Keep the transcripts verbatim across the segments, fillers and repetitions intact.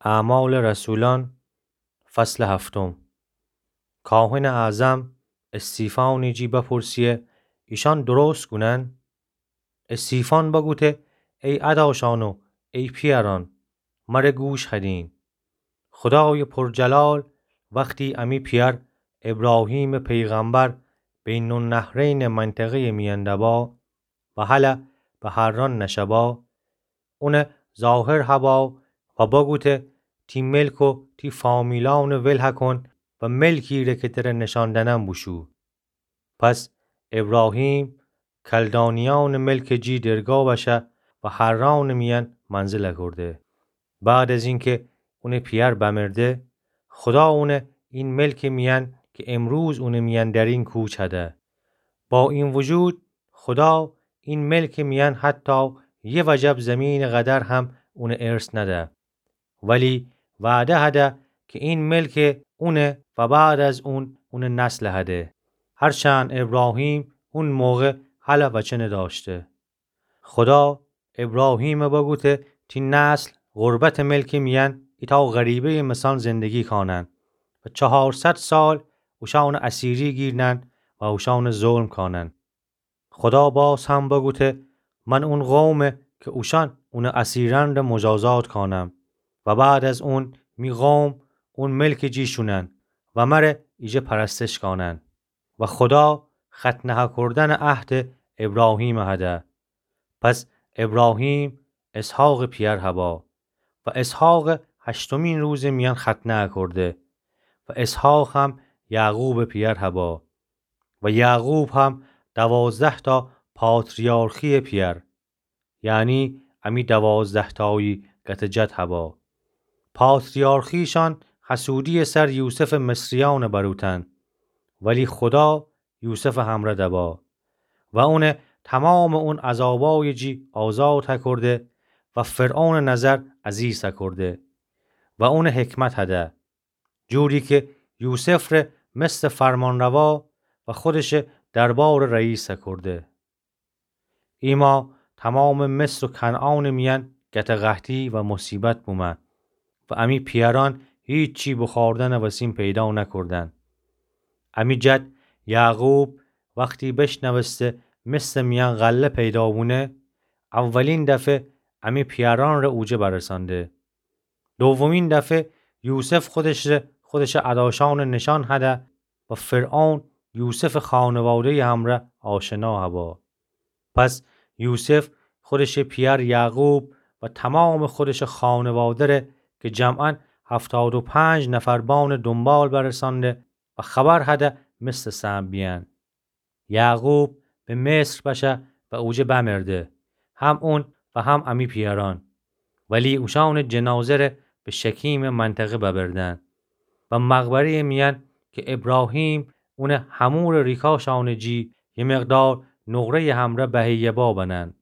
اعمال رسولان، فصل هفتم. کاهن اعظم استیفانی جی بپرسیه، ایشان درست گونن؟ استیفان بگوته، ای اداشان و ای پیأران، مره گوش هدین. خدای پرجلال وختی امی پیأر ابراهیم پیغمبر بین‌النهرین منطقه‌ی میأن دبا و هلأ به حران نشبا، اونه ظاهر هبا و بگوته، تی ملک و تی فامیلأن ول هکن و ملکی ره که تره نشان دأنم بوشو. پس ابراهیم کلدانیأن ملک جی درگا بشه و حران میأن منزل هکرده. بعد از اینکه اونه پیأر بمرده، خدا اونه این ملک میأن که امروز اونه میأن درین کوچ هده. با این وجود، خدا این ملک میأن حتی یه وجب زمین قدر هم اونه ارث نده. ولی وعده هده که این ملک اونه و بعد از اون اونه نسل هده. هرچند ابراهیم اون موقع هلأ وچه نداشته. خدا ابراهیم بگوته، تی نسل غربت ملک میأن ایتا غریبه‌ی مثأن زندگی کانن و چهارصد سال اوشأن اسیری گیرنن و اوشأن ظلم کانن. خدا باز هم بگوته، من اون قومه که اوشأن اون اسیرأن ره مجازات کانم و بعد از اون می قوم اون ملک جیشونن و مره ایجه پرستش کانن. و خدا ختنه هکردن عهد ابراهیم هده. پس ابراهیم اسحاق پیأر هبا و اسحاق هشتمین روز میأن ختنه هکرده و اسحاق هم یعقوب پیأر هبا و یعقوب هم دوازده‌تا پاتریارخی پیأر، یعنی امی دوازده‌تایی گت جد هبا. پاتریارخیشان حسودی سر یوسف مصریأن بروتن، ولی خدا یوسف همره دبا و اونه تمام اون عذابای جی آزاد هکرده و فرعون نظر عزیز هکرده و اون حکمت هده، جوری که یوسف ره مثل فرمانروا و خودش دربار رئیس هکرده. ایما تمام مصر و کنعان میأن گت قحطی و مصیبت بومه و امی پیأرأن هیچی بخوردن وسین پیدا نکردن. امی جد یعقوب وختی بشنوسته مصر میأن غله پیدا بونه، اولین دفعه امی پیأرأن ره اوجه برسانده. دومین دفعه یوسف خودش ره خودش اداشأن نشان هده و فرعون یوسف خانواده‌ی همره آشنا هبا. پس یوسف خودش پیأر یعقوب و تمام خودش خانواده ره که جمعاً هفتاد و پنج نفر بأن دنبال برسانده و خبر هده مصر سهم بیأن. یعقوب به مصر بشه و اوجه بمرده، هم اون و هم امی پیأرأن. ولی اوشأن جنازه ره به شکیم منطقه ببردن و مقبره‌ی میأن که ابراهیم اون حمور ریکاشأن جی یه مقدار نقره‌ی همره بهیه با بنن.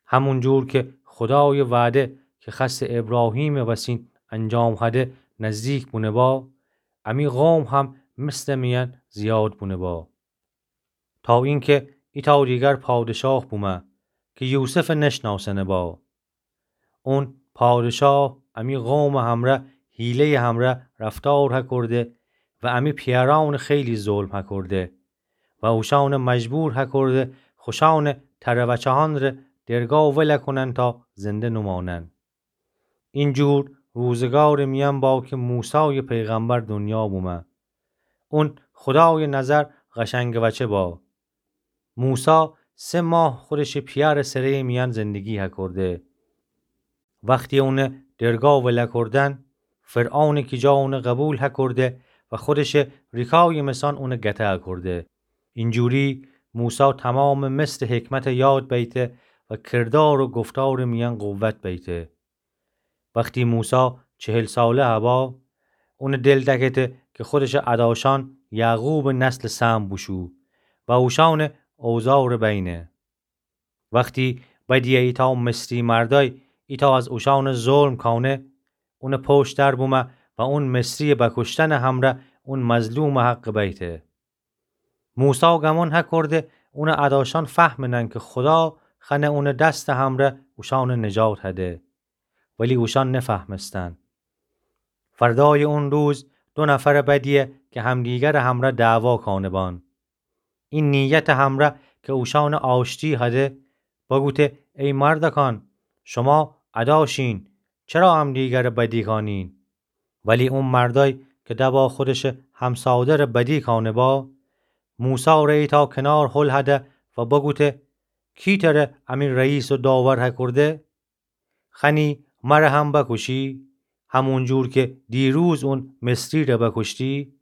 همون جور که خدای وعده که خأسته ابراهیم وسین انجام هده نزدیک بونه با، امی قوم هم مصر میأن زیاد بونه با. تا اینکه ایتا دیگر پادشاه بومه که یوسف نشناسنه با. اون پادشاه امی قوم همره حیله‌ی همره رفتار هکرده و امی پیأرأن خیلی ظلم هکرده و اوشأن مجبور هکرده خوشأن تره وچه‌هأن ره درگا ول کنن تا زنده نمانن. این جور روزگار میأن با که موسی پیغمبر دنیا بومه. اون خدای نظر قشنگ وچه با. موسی سه ماه خودش پیأر سره‌ی میأن زندگی هکرده. وختی اون درگا ول کردن، فرعون کی جا اون قبول هکرده و خودش ریکای مثأن اون گته هکرده. اینجوری موسی تمام مصر حکمت یاد بیته و کردار و گفتار میأن قوت بیته. وختی موسی چهل ساله هوا، اون دل دکته که خودش اداشأن یعقوب نسل سهم بوشو و اوشأن اوضاع ره بینه. وختی بدیه ایتا مصری مردای ایتا از اوشأن ظلم کانه، اون پشت در بومه و اون مصری بکشتن همره اون مظلوم حق بیته. موسی گمون هکرده اون اداشأن فهمنن که خدا خأنه اون دست همره اوشأن نجات هده. ولی اوشأن نفهمستن. فردایٚ اون روز دو نفرٚ بدیه کی همدیگرٚ همرأ دعوا کانه‌بان. ای نیتٚ همرأ کی اوشأنٚ آشتی هده، بگوته: ای مردکان، شما ادا شین، چرا همدیگرٚ بدی کانین؟ ولی او مردأی کی دبا خودشٚ همسادرٚ بدی کانه‌با، موسی ره ایتأ کنار هل هده و بگوته: کی تره امی رئیس و داور هکورده؟ خنی مره هم بکوشی، همون جور کی دیروز اون مصری ره بکوشتی؟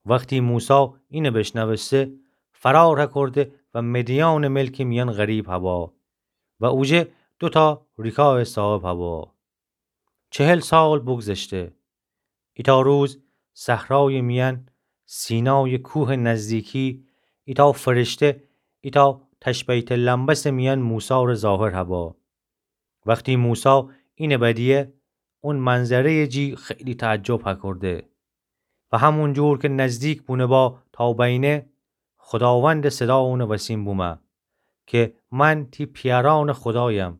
وختی موسی اینه بیشنوسته، فرار هکورده و مدیانٚ ملکٚ میأن غریب هبا و اوجه دوتأ ریکایٚ صاحب هبا. چهل سال بوگذشته. ایتأ روز صحرایٚ میأن، سینایٚ کوهٚ نزدیکی، ایتأ فرشته ایتأ تشبیتٚ لمبسٚ میأن موسی ره ظاهر هبا. وختی موسی اینه بدیه، اون منظره‌یٚ جی خیلی تعجب هکورده و همون جور کی نزدیک بونه‌با تا بینه، خوداوندٚ صدا اونٚ وسین بومه کی من تی پیأرأنٚ خودایم،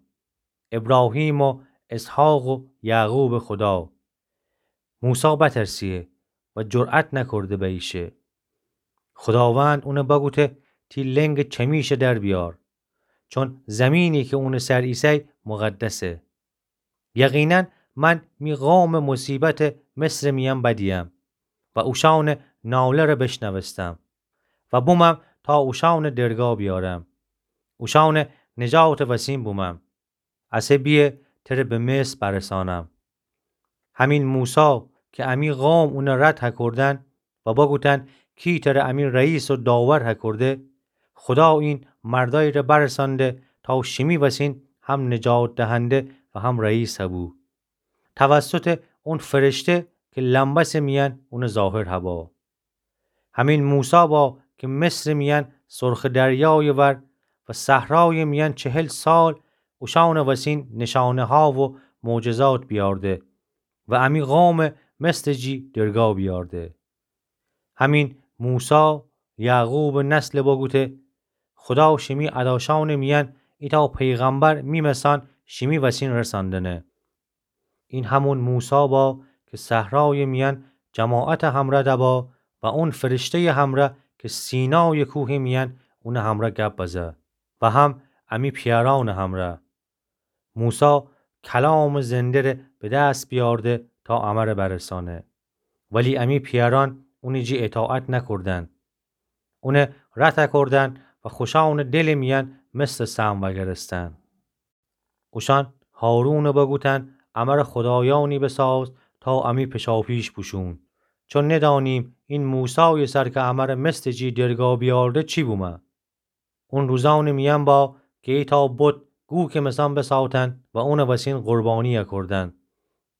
ابراهیم و اسحاق و یعقوبٚ خودا. موسی بترسیه و جرأت نکورده بأییشه. خوداوند اونه بگوته: تی لنگٚ چمیشه در بیار، چون زمینی کی اونٚ سر ایسأی مقدسه. یقیناً من می قومٚ مصیبتٚ مصرٚ میأن بدیم و اوشأنٚ ناله ره بیشنوستم و بومم تا اوشأنٚ درگا بیارم، اوشأنٚ نجاتٚ وسین بومم. اسه بیه تره به مصر برسانم. همین موسی کی امی قوم اونه رد هکردن و بگوتن: کی تره امی رئیس و داور هکرده؟ خدا این مردأیی ره برسانده تا شیمی وسین هم نجات دهنده و هم رئیس هبو. توسطٚ اون فرشته کی لمبسٚ میأن اونه ظاهر هبا. همین موسی با کی مصرٚ میأن سرخٚ دریایٚ ور و صحرایٚ میأن چهل سال اوشأنٚ وسین نشانه‌ها و معجزات بیارده و امی قومٚ مصرٚ جی درگا بیارده. همین موسی یعقوبٚ نسل بگوته: خدا شیمی اداشأنٚ میأن ایتأ پیغمبر می مثأن شیمی وسین رساندنه. این همون موسی با کی صحرایٚ میأن جماعتٚ همرأ دبا و اون فرشته‌یٚ همرأ کی سینایٚ کوهٚ میأن اونٚ همرأ گپ بزه و هم امی پیأرأنٚ همرأ. موسی کلامٚ زنده ره به دس بیارده تا امره برسانه، ولی امی پیأرأن اونٚ جی اطاعت نکردن. اونه رد کردن و خوشأنٚ دلٚ میأن مثلٚ سهم وأگرستن. اوشأن هارونه بگوتن: امره خدایأنی بساز تا امی پیشاپیش بوشون، چون ندأنیم این موسایٚ سر کی امره مثلٚ جی درگا بیارده چی بومه. اون روزأنٚ میأن با کی ایتأ بت گوکٚ مثأن بسأوتن و اونٚ وسین قربانی اکردن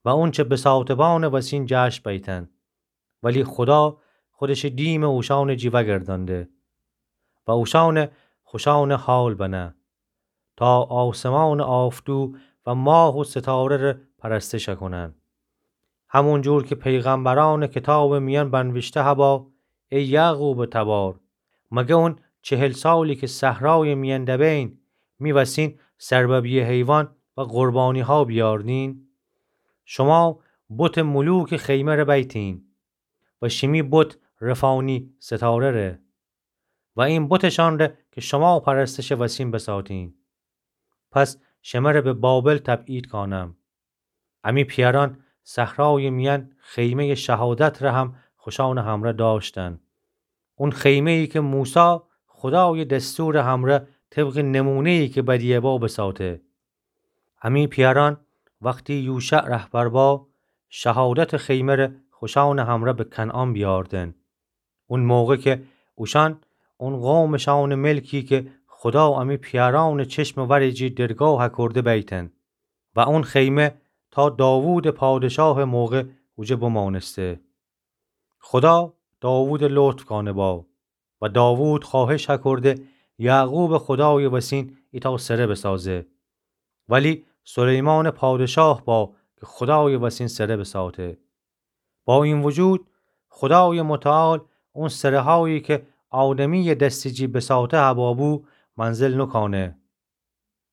و اونچه بسأوته‌بأنٚ وسین جشن بیتن. ولی خدا خودشٚ دیمٚ اوشأنٚ جی وأگردأنده و اوشأنٚ خوشأنٚ حال بنه تا آسمانٚ آفتو و ماه و ستاره ره پرستش اکونن. همون جور کی پیغمبرأنٚ کتابٚ میأن بنویشته هبا: ای یعقوبٚ تبار، مگه اون چهل سالی کی صحرایٚ میأن دبین می وسین سرببیه حیوان و قربانی‌ها بیاردین؟ شما بتٚ ملوکٚ خیمه ره بیتین و شیمی بت رفانی ستاره ره و این بتشأن ره کی شما پرستشٚ وسین بساتین. پس شمره به بابل تبعید کانم. امی پیأرأن صحرایٚ میأن خیمه‌یٚ شهادت ره هم خوشأنٚ همرأ دأشتن. اون خیمه‌یی کی موسی خدایٚ دستورٚ همرأ طبقٚ نمونه‌یی کی بدیه‌با بساته. امی پیأرأن وختی یوشع رهبر با، شهادتٚ خیمه ره خوشأنٚ همرأ به کنعان بیاردن. اون موقع کی اوشأن اون قومٚ شأنٚ ملکی کی خدا امی پیأرأنٚ چشمٚ ورٚ جی درگا هکرده بیتن و اون خیمه تا داوودٚ پادشاهٚ موقع اوجه بمانسته. خدا داوودٚ لطف کانه با و داوود خوأهش هکرده یعقوبٚ خدایٚ وسین ایتأ سره بسازه. ولی سلیمانٚ پادشاه با کی خدایٚ وسین سره بساته. با این وجود، خدایٚ متعال اون سره‌هایی کی آدمییٚ دستٚ جی بساته هبا بو، منزل نوکانه.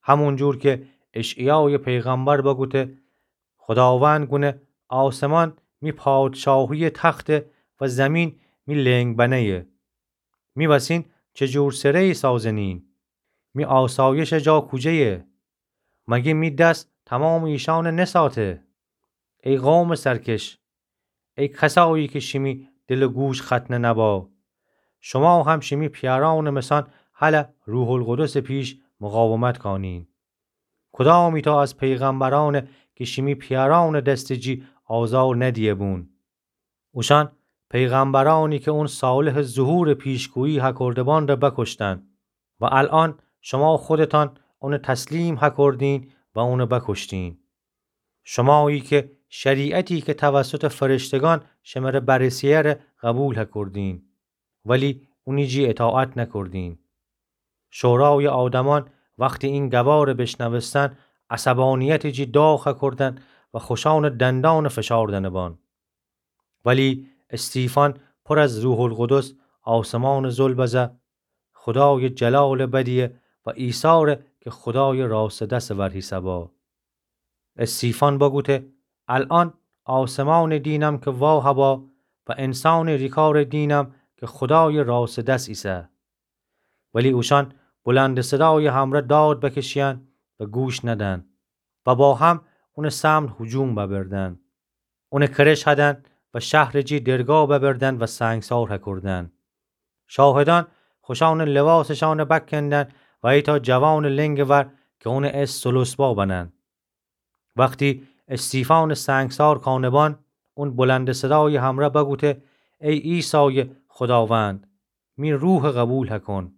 همون جور کی اشعیایٚ پیغمبر بگوته: خداوند گونه آسمان می پادشاهیٚ تخته و زمین می لنگ‌بنه‌یه. می وسین چه جور سره‌یی سازنین؟ می آسایشٚ جا کوجه‌یه؟ مگه می دس تومامٚ ایشأن نساته؟ ای قومٚ سرکش، ای کسایی کی شیمی دل و گوش ختنه نبا، شما هم شیمی پیأرأنٚ مسان هلأ روح‌القدسٚ پیش مقاومت کانین. کدامیتأ از پیغمبرأنه کی شیمی پیأرأنٚ دستٚ جی آزار ندیه‌بون؟ اوشأن پیغمبرأنی کی اون صالحٚ ظهورٚ پیشگویی هکرده‌بان ره بکشتن و الأن شما خودتأن اونه تسلیم هکردین و اونه بکشتین. شمایی کی شریعتی کی توسطٚ فرشتگأن شمره برسه‌یه ره قبول هکردین، ولی اونی جی اطاعت نکردین. شورایٚ آدمأن وختی این گباره بیشنوستن، عصبانیتٚ جی داغ هکردن و خوشأنٚ دندأنه فشاردنه بان. ولی استیفان پر از روح‌القدس آسمانٚ ظل بزه، خودایٚ جلالٚ بدیه و عیسی ره کی خودایٚ راستٚ دسٚ ور هیسه با. استیفان بگوته: الأن آسمانٚ دینم کی وا هبا و انسانٚ ریکارٚ دینم کی خودایٚ راستٚ دس ایسه. ولی اوشأن بلندٚ صدایٚ همرأ داد بکشیین و گوش ندن و با هم اونٚ سمت هجوم ببردن. اونٚ کرش هدن و شهرٚ جی درگاه ببردن و سنگسار هکردن. شاهدأن خوشأنٚ لواسٚ شأنه بکندن و ایتأ جوانٚ لنگٚ ور کی اونٚ اسم سلسبا بنن. وختی استیفانٚ سنگسار کانه‌بان، اون بلندٚ صدایٚ همرأ بگوته: ای عیسایٚ خوداوند، می روحٚ قبول هکن.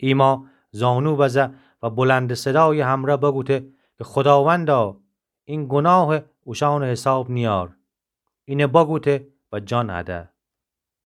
ایما زانو بزه و بلندٚ صدایٚ همرأ بگوته کی خوداوندا، این گناه اوشأنٚ حساب نیأر. اینه بگوته و جان هده.